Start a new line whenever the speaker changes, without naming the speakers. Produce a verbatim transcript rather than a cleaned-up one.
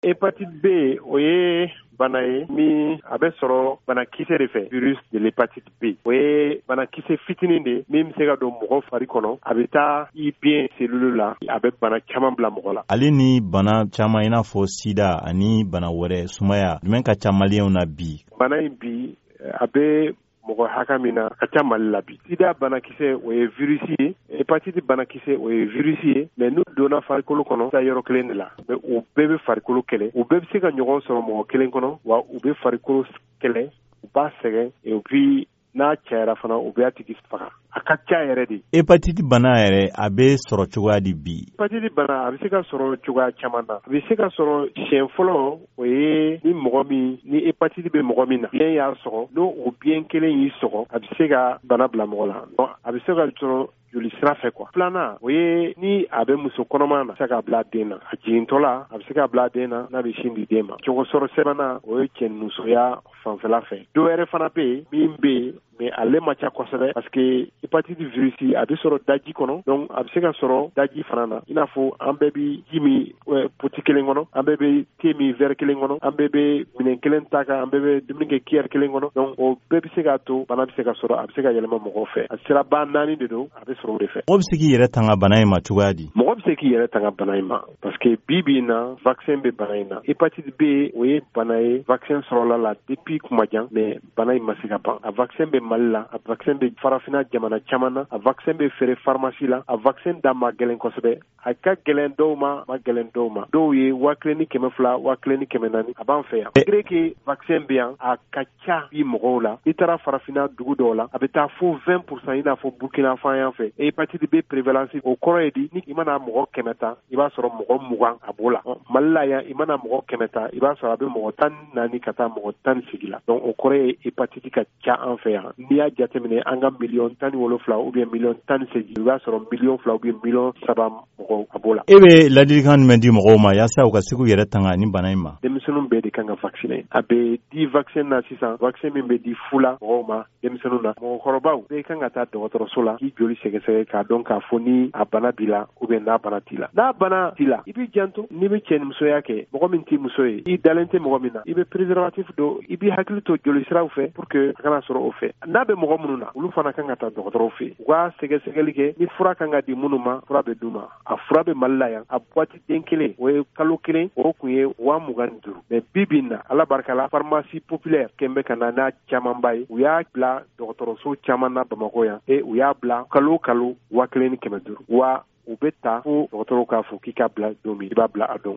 Hépatite B, o ye bana ye min a bɛ sɔrɔ banakisɛ de fɛ, virus de l'hépatite B. O ye banakisɛ fitinin de min bɛ se ka don mɔgɔ fari kɔnɔ, a bɛ taa i biɲɛ cellule la, a bɛ bana caman bila mɔgɔ la.
Ale ni bana caman i n'a fɔ sida ani bana wɛrɛ, sumaya, jumɛn ka ca maliyɛnw na bi?
Bana in bi, a bɛ mɔgɔ hakɛ min na, ka ca Mali la bi. Sida banakisɛ, o ye virus ye, hépatite banakisɛ, o ye virus ye, mais n'u donna farikolo kɔnɔ, taa yɔrɔ kelen de la, mais u bɛɛ bɛ farikolo kɛlɛ, u bɛɛ bɛ se ka ɲɔgɔn sɔrɔ mɔgɔ kelen kɔnɔ, wa u bɛ farikolo kɛlɛ, u b'a sɛgɛn, et puis n'a cayara fana, u bɛ a tigi faga. A ka ca yɛrɛ de.
Hépatite bana yɛrɛ, a bɛ sɔrɔ cogoya di bi?
Hépatite bana, a bɛ se ka sɔrɔ cogoya caman na. A bɛ se ka sɔrɔ siɲɛ fɔlɔ, o ye ni mɔgɔ min, ni hépatite bɛ mɔgɔ min na, biɲɛ y'a sɔgɔ, n'o o biɲɛ kelen y'i sɔgɔ, a bɛ se ka bana bila mɔgɔ la. A bɛ se ka sɔrɔ joli sira fɛ quoi. Filanan, o ye ni a bɛ muso kɔnɔma na, a bɛ se k'a bila den na. A jigintɔ la, a bɛ se k'a bila den na n'a bɛ sin di den ma. Cogo sɔrɔ sabanan, o ye cɛnimusoya fanfɛla fɛ. Dɔ wɛrɛ fana bɛ yen min bɛ yen, mais ale ma ca kosɛbɛ, parce que hépatite virus a bɛ sɔrɔ daji kɔnɔ, donc a bɛ se ka sɔrɔ daji fana na. I n'a fɔ an bɛɛ bɛ ji min poti kelen kɔnɔ, an bɛɛ bɛ te min verre kelen kɔnɔ, an bɛɛ bɛ minɛn kelen ta kan, an bɛɛ bɛ dumuni kɛ cuillère kelen kɔnɔ. Donc o bɛɛ bɛ se k'a to bana bɛ se ka sɔrɔ, a bɛ se ka yɛlɛma mɔgɔw fɛ. A siraba naani de don, a bɛ sɔrɔ o de fɛ.
Mɔgɔ bɛ se k'i yɛrɛ tanga bana in ma cogoya di?
Mɔgɔ bɛ se k'i yɛrɛ tanga bana in ma, parce que bi bi in na, vaccin bɛ bana in na. Hépatite B, o ye bana ye, vaccin sɔrɔla la depuis kuma jan, mais bana in ma se ka ban. A vaccin bɛ Mali la, a vaccin bɛ farafinna jamana caman na, a vaccin bɛ feere pharmacie la, a vaccin da ma gɛlɛn kosɛbɛ. A ka gɛlɛn dɔw ma, ma gɛlɛn dɔw ma. Dɔw ye waa kelen ni kɛmɛ fila, waa kelen ni kɛmɛ naani, a b'an fɛ yan. Malgré que vaccin bɛ yan, a ka ca bi mɔgɔw la. I taara farafinna dugu dɔw la, a bɛ taa fo vingt pour cent, i n'a fɔ Burkina fan yan fɛ. Hépatite B prévalence, o kɔrɔ ye di, ni i mana mɔgɔ kɛmɛ ta, i b'a sɔrɔ mɔgɔ mugan a b'o la. Mali la yan, i mana mɔgɔ kɛmɛ ta, i b'a sɔrɔ a bɛ mɔgɔ tan ni naani ka taa mɔgɔ tan ni seegin la. Donc o kɔrɔ ye hépatite ka ca an fɛ yan. N'i y'a jateminɛ, an ka miliyɔn tan ni wolonfila ou bien miliyɔn tan ni seegin, i b'a sɔrɔ miliyɔn fila ou bien miliyɔn saba mɔgɔw a b'o la.
E bɛ ladilikan jumɛn di mɔgɔw ma yaasa u ka se k'u yɛrɛ tanga ni bana in ma?
Denmisɛnninw bɛɛ de kan ka vacciner. A bɛ di vaccin na sisan, vaccin min bɛ di fu la mɔgɔw ma, denmisɛnninw na. Mɔgɔkɔrɔbaw bɛɛ kan ka taa dɔgɔtɔrɔso la k'i joli sɛgɛsɛgɛ k'a dɔn k'a fɔ ni a bana b'i la ou bien n'a bana t'i la. N'a bana t'i la, i b'i janto n'i bɛ cɛnimusoya kɛ, mɔgɔ min t'i muso ye, i dalen tɛ mɔgɔ min na, i bɛ préservatif don, i b'i hakili to joli siraw fɛ pour que a kana sɔrɔ o fɛ. N'a bɛ mɔgɔ minnu na, olu fana kan ka taa dɔgɔtɔrɔw fɛ, u ka sɛgɛsɛgɛli kɛ. Ni fura kan ka di minnu ma, fura bɛ d'u ma. A fura bɛ Mali la yan. A boîte den kelen, o ye kalo kelen, o kun ye waa mugan ni duuru, mais bi bi in na, Ala barika la, pharmacie populaire kɛn bɛ ka na n'a camanba ye. U y'a bila dɔgɔtɔrɔso caman na Bamakɔ yan, e u y'a bila kalo kalo waa kelen ni kɛmɛ duuru, wa u bɛ ta fo dɔgɔtɔrɔw k'a fɔ k'i k'a bila don min, i b'a bila a don.